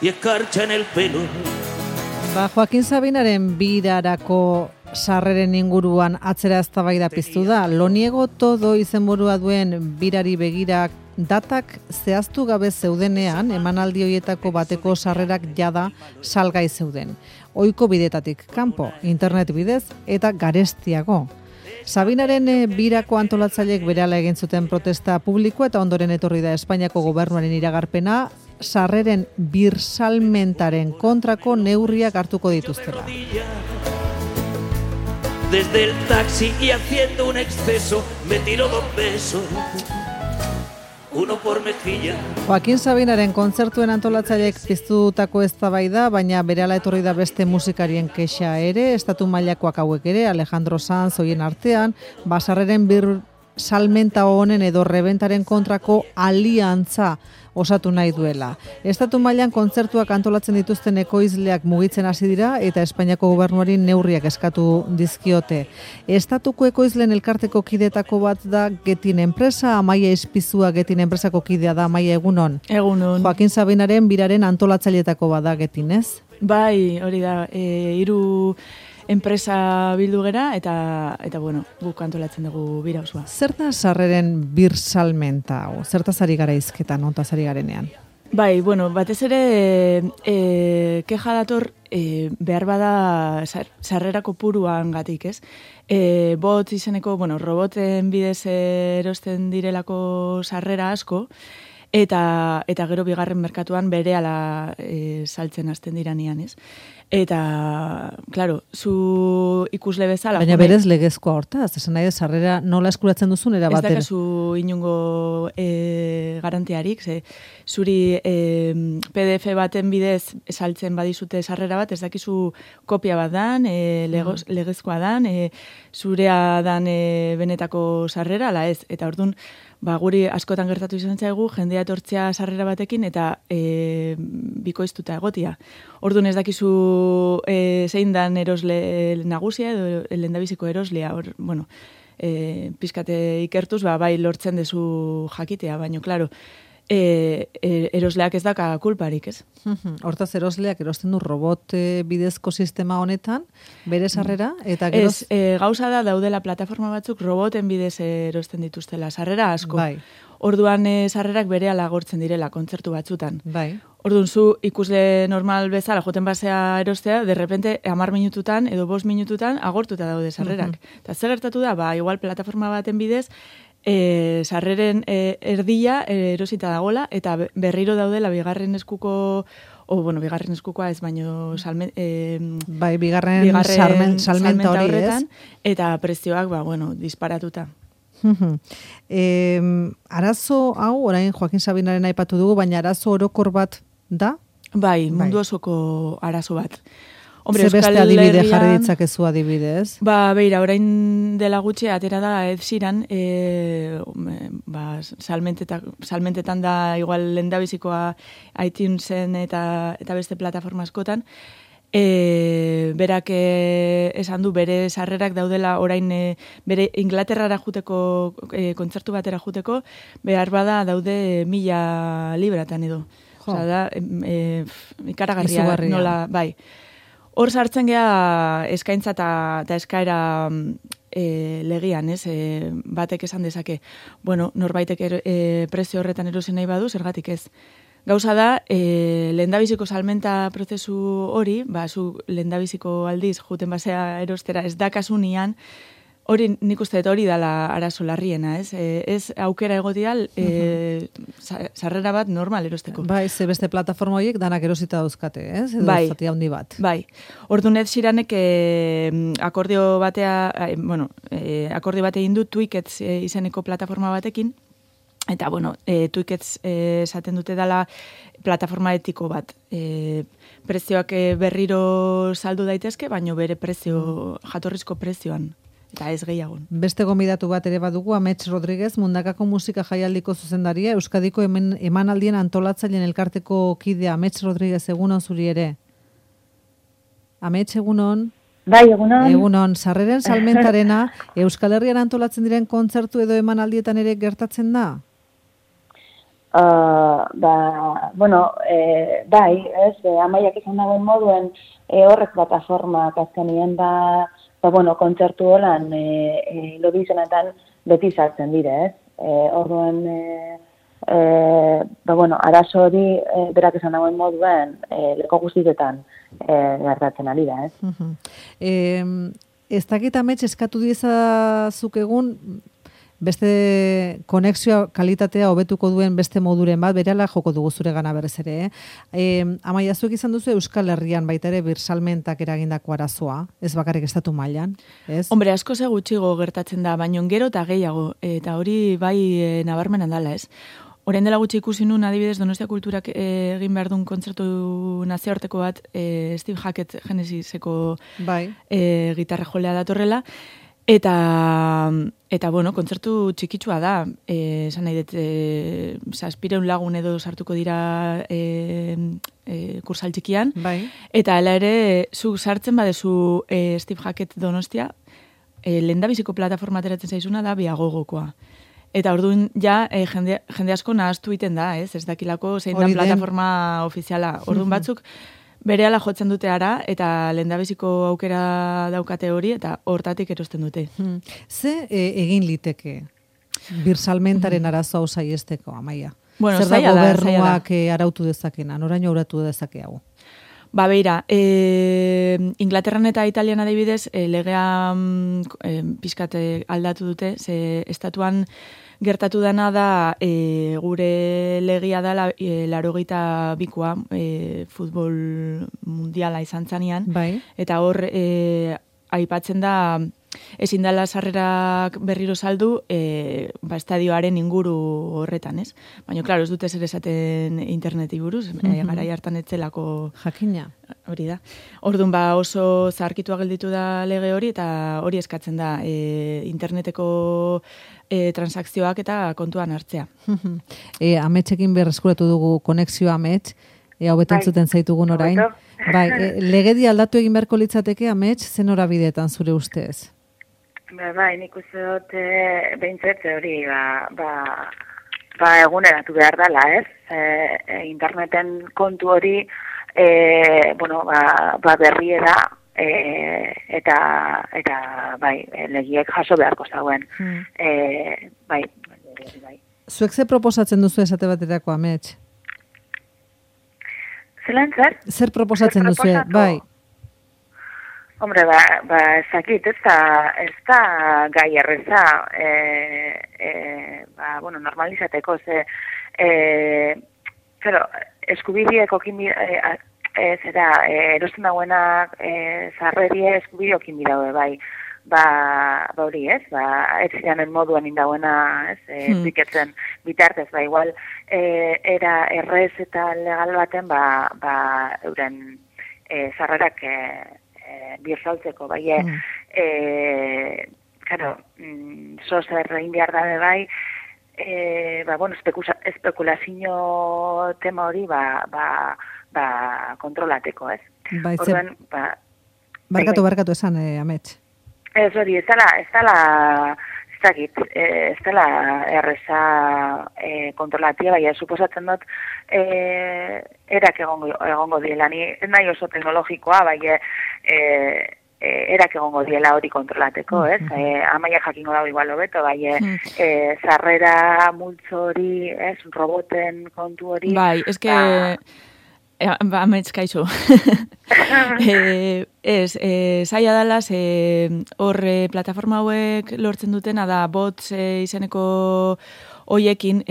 y escarcha en el pelo. Joaquin Sabinaren birarako sarreren inguruan atzera eztabaida piztu da. Lo niego todo izenburua duen birari begirak datak zehaztu gabe zeudenean, emanaldi horietako bateko sarrerak jada salgai zeuden. Ohiko bidetatik kanpo, internet bidez eta garestiago. Sabinaren birako antolatzaileek berehala egin zuten protesta publikoa eta ondoren etorri da Espainiako gobernuaren iragarpena sarreren birsalmentaren kontrako neurriak hartuko dituztela. Desde el taxi y haciendo un exceso me tiró 2 besos. Uno por mejilla. Joaquin Sabinaren kontzertuen antolatzaileek piztutako eztabaida, baina berehala etorri da beste musikarien kexa ere, estatu mailakoak hauek ere, Alejandro Sanz hoien artean, basarreren salmenta honen edo rebentaren kontrako aliantza osatu nahi duela. Estatu mailan kontzertuak antolatzen dituzten ekoizleak mugitzen hasi dira eta Espainiako gobernuari neurriak eskatu dizkiote. Estatuko ekoizleen elkarteko kidetako bat da Getin enpresa, Amaia Izpizua Getin enpresako kidea da. Amaia, egunon. Egunon. Joaquin Sabinaren biraren antolatzaileetako bat da Getin, ez? Bai, hori da, 3 enpresa bildu gera eta bueno, guk antolatzen dugu bira osoa. Zer da sarreren birsalmenta hau? Zertaz ari gara hizketan, ontaz ari garenean? Bai, bueno, batez ere keja dator behar bada sarrera kopuruan gatik, ez? Bot izeneko, bueno, roboten bidez erosten direlako sarrera asko, eta gero bigarren merkatuan berehala saltzen hasten diranean, ez? Eta, claro, zu ikusle bezala... Baina berez legezkoa hortaz, esan nahi sarrera nola eskuratzen duzun erabaten. Ez dakazu inungo garantiarik, zuri PDF baten bidez saltzen badizute sarrera bat, ez dakizu kopia bat dan, legezkoa dan, zurea dan benetako sarrera, ala ez, eta orduan, guri askotan gertatu izan zaigu, jendea etortzea sarrera batekin eta bikoiztuta egotia. Orduan ez dakizu zein dan erosle nagusia edo lehendabiziko eroslea. Bueno, pizkate ikertuz, bai lortzen dezu jakitea, baina, klaro, erosleak ez daka kulparik, ez? Hortaz erosleak erosten du robot bidezko sistema honetan, bere sarrera, eta geroz... Gauza da daudela plataforma batzuk roboten bidez erosten dituztela, sarrera asko. Bai. Orduan sarrerak berehala agortzen direla kontzertu batzutan. Bai. Orduan zu ikusle normal bezala joten basea erostea, de repente 10 minututan edo 5 minututan agortuta daude sarrerak. Eta zer gertatu da, igual plataforma baten bidez, sarreren erdia erosita dagola, eta berriro daudela bigarren eskuko, bigarren eskukoa ez baino bigarren salmenta hori horretan, eta prezioak, disparatuta. Arazo hau, orain Joaquin Sabinaren aipatu dugu, baina arazo orokor bat da? Bai, mundu osoko arazo bat. Ze beste adibide jarri ditzakezu adibidez? Beira, orain dela gutxe atera da Ed Sheeran, salmentetan da igual lehendabizikoa iTunesen eta beste plataforma askotan, berak esan du bere sarrerak daudela orain bere Inglaterrara juteko, kontzertu batera juteko, behar bada daude 1000 libratan edo. Osa da, ikaragarria nola, bai. Hor sartzen gea eskaintza eta eskaera legian, ez? Batek esan dezake, norbaitek prezio horretan erosi nahi badu, zergatik ez. Gauza da, lehendabiziko salmenta prozesu hori, zu lehendabiziko aldiz juten basea erostera ez dakasunian, hori nik uste hori dala arazo larriena, ez? Ez aukera egotia sarrera bat normal erosteko. Bai, ze beste plataforma horiek danak erosita dauzkate, ez? Edo zati handi bat. Bai. Orduan Ed Sheeranek akordio bate egin du Twickets izeneko plataforma batekin, eta, Twickets esaten dute dela plataforma etiko bat. Prezioak berriro saldu daitezke, baino bere prezio, jatorrizko prezioan. Eta ez gehiago. Beste gonbidatu bat ere badugu, Amets Rodriguez, Mundakako musika jaialdiko zuzendaria, Euskadiko emanaldien antolatzaileen elkarteko kidea. Amets Rodriguez, egunon zuri ere. Amets, egunon. Bai, egunon. Egunon, sarreren salmentarena, Euskal Herrian antolatzen diren kontzertu edo emanaldietan ere gertatzen da? Bai, Amaiak izan dagoen moduen horrek plataformak azkenien kontzertu holan lobi izenetan beti sartzen dire, ez? Orduen, arazo hori berak izan dagoen moduen leko guztietan gertatzen ari da, ez? Ez dakit amets eskatu diezazuk egun beste konexioa kalitatea hobetuko duen beste moduren bat, berehala joko dugu zure gana berez ere. Amaia, zuek izan duzu Euskal Herrian baita ere birsalmentak eragindako arazoa, ez bakarrik estatu mailan, ez? Hombre, asko ze gutxigo gertatzen da, baina gero eta gehiago, eta hori bai nabarmenan dala, ez? Orain dela gutxi ikusi nun, adibidez, Donostia Kulturak egin behar duen kontzertu nazioarteko bat, Steve Hackett Genesiseko gitarra jolea datorrela, Eta kontzertu txikitsua da, esan nahi dut, 700 lagun edo sartuko dira kursal txikian, eta hala ere, zu sartzen badezu Steve Hackett Donostia, lehendabiziko plataforma ateratzen zaizuna da Biagogokoa. Eta orduan ja, jende asko nahaztu iten da, ez dakilako zein da plataforma ofiziala. Orduan batzuk, berehala jotzen dute ara, eta lehendabiziko aukera daukate hori, eta hortatik erosten dute. Ze egin liteke birsalmentaren arazo hau saiesteko, Amaia? Bueno, zer da gobernuak arautu dezakena, noraino arautu dezake hau? Beira, Inglaterran eta Italian adibidez, legea pixkat aldatu dute, ze estatuan gertatu dana da gure legia da 82koa futbol mundiala izan zanean, eta hor aipatzen da ezin dela sarrerak berriro saldu estadioaren inguru horretan, ez? Baina, klaro, ez dute zer esaten interneti buruz, garai hartan etzelako jakina. Hori da. Orduan oso zaharkitua gelditu da lege hori, eta hori eskatzen da interneteko transakzioak eta kontuan hartzea. Ametsekin berreskuratu dugu konexioa amets, hobeto entzuten zaitugun orain. Legedi aldatu egin beharko litzateke amets, zen horabideetan zure ustez? Nik uste dut behintzet hori eguneratu behar dela, ez? Interneten kontu hori berriera eta legiek jaso beharko zauen. Zuek ze proposatzen duzu esate baterako, amets? Zelan zer? Zer proposatzen duzu, bai? Hombre, ezakit, ez da gai erreza, normalizateko, eskubideak erosten dagoenak zarrerie eskubideak inbidaue, bai. Hori ez, ez ziren moduan indauena, ez, biketzen bitartez, igual, era errez eta legal baten, euren zarrerak birsaltzeko, zozer egin behar dabe bai, espekulazio tema hori, kontrolateko, ez? Barkatu esan, amets. Ez hori, ez dela erreza kontrolatia, baina suposatzen dut erak egongo diela. Ni ez nahi oso teknologikoa, baina erak egongo diela hori kontrolateko, ez? Amaia jakingo dago igual hobeto, baina zarrera multzo hori, ez, roboten kontu hori. Bai, eske... Amets, kaixo. Zaila dala, hor plataforma hauek lortzen dutena da bots izeneko hoiekin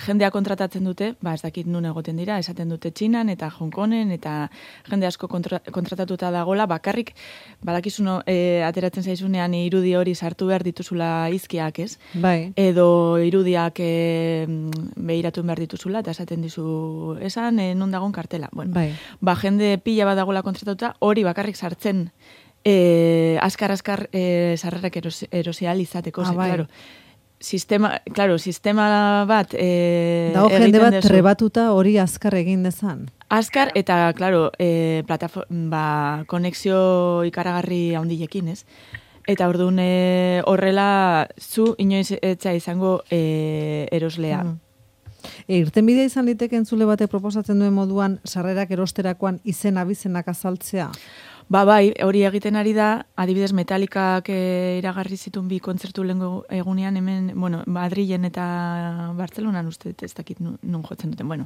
jendea kontratatzen dute, ez dakit nun egoten dira, esaten dute Txinan eta Hong Kongen, eta jende asko kontratatuta dagola, bakarrik, badakizuno, ateratzen zaizunean irudi hori sartu behar dituzula izkiak, ez? Bai. Edo irudiak behiratu behar dituzula, eta esaten dizu esan, non dagoen kartela. Bueno, jende pila bat dagoela kontratatuta, hori bakarrik sartzen askar sarrerek erosial izateko, claro. Sistema bat... Dago jende bat trebatuta hori azkar egin dezan. Azkar eta, claro, konexio ikaragarri handilekin, ez? Eta orduan horrela zu inoiz etza izango eroslea. Irtenbidea izan liteke entzule batek proposatzen duen moduan sarrerak erosterakoan izen abizenak azaltzea? Bai, hori egiten ari da, adibidez Metallicak iragarri zituen 2 kontzertu lehengo egunean, hemen, Madrilen eta Bartzelonan uste, ez dakit nun jotzen duten.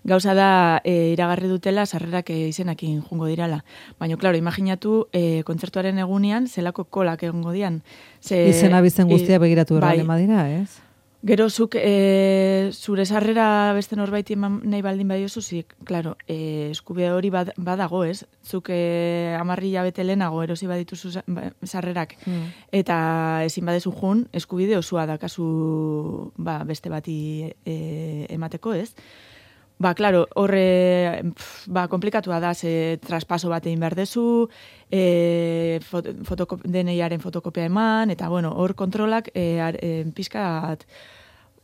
Gauza da, iragarri dutela sarrerak izenakin jungo dirala. Baina, klaro, imaginatu, kontzertuaren egunean, zelako kolak egongo dian. Izen abizen guztia begiratu errale madira, ez? Gero zuk zure sarrera beste norbaiti eman nahi baldin badiozu, klaro, eskubide hori badago, ez? Zuk 10 hilabete lehenago erosi badituzu sarrerak, eta ezin badezu jun, eskubide osua dakazu beste bati emateko, ez? Klaro, horre, komplikatua da, ze traspaso bat egin behar dezu, DNI-aren fotokopia eman, eta, hor kontrolak pixkat,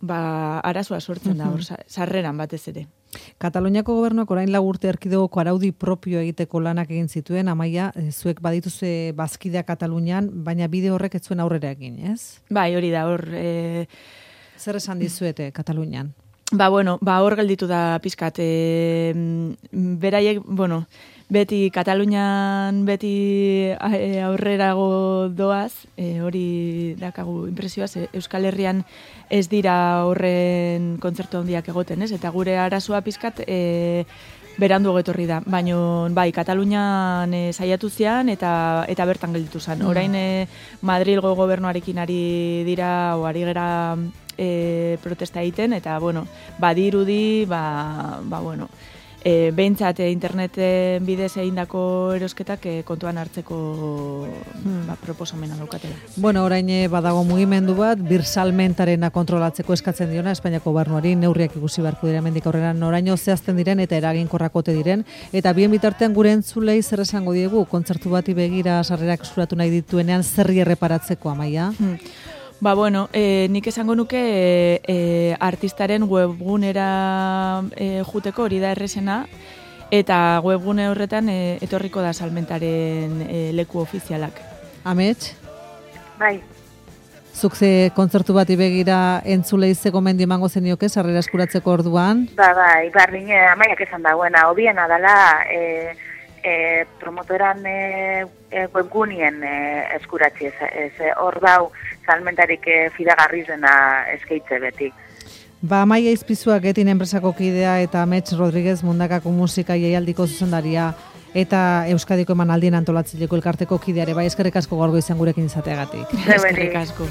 arazoa sortzen da, hor, sarreran batez ere. Kataluniako gobernuak orain 4 urte erkidegoko araudi propio egiteko lanak egin zituen, Amaia, zuek badituze bazkidea Katalunian, baina bide horrek ez zuen aurrera egin, ez? Bai, hori da, hor... Zer esan dizuete Katalunian? Hor gelditu da pizkat. Beraiek, beti Katalunian beti aurrerago doaz, hori dakagu impresioaz, Euskal Herrian ez dira horren kontzertu handiak egoten, ez? Eta gure arazoa pizkat berandu etorri da. Baina, Katalunian saiatu zian eta bertan gelditu zen. Orain Madrilgo gobernuarekin ari dira, ari gera protesta egiten, eta, badirudi, behintzat interneten bidez egindako erosketak kontuan hartzeko proposamena daukatela. Orain badago mugimendu bat, birsalmentarena kontrolatzeko eskatzen diona, Espainiako gobernuari neurriak ikusi beharko dira hemendik aurrera noraino zehazten diren eta eraginkorrakote diren, eta bien bitartean gure entzulei zer esango diegu, kontzertu bati begira sarrerak eskuratu nahi dituenean zerri erreparatzeko, Amaia? Nik esango nuke artistaren webgunera juteko hori da errezena, eta webgune horretan etorriko da salmentaren leku ofizialak. Amets? Bai. Zuk ze kontzertu bati begira entzulei ze gomendio emango zenioke sarrera eskuratzeko orduan? Bai, bardin Amaiak esan dagoena, hobiena dela promotoran webgunien eskuratzi hor dau salmentarik fidagarri dena eskaitze beti. Amaia Izpizua Getin enpresako kidea eta Amets Rodriguez Mundakako musika jaialdiko zuzendaria eta Euskadiko emanaldien antolatzaileko elkarteko kideare, eskerrik asko gaurgo izan gurekin izateagatik. Eskerrik asko.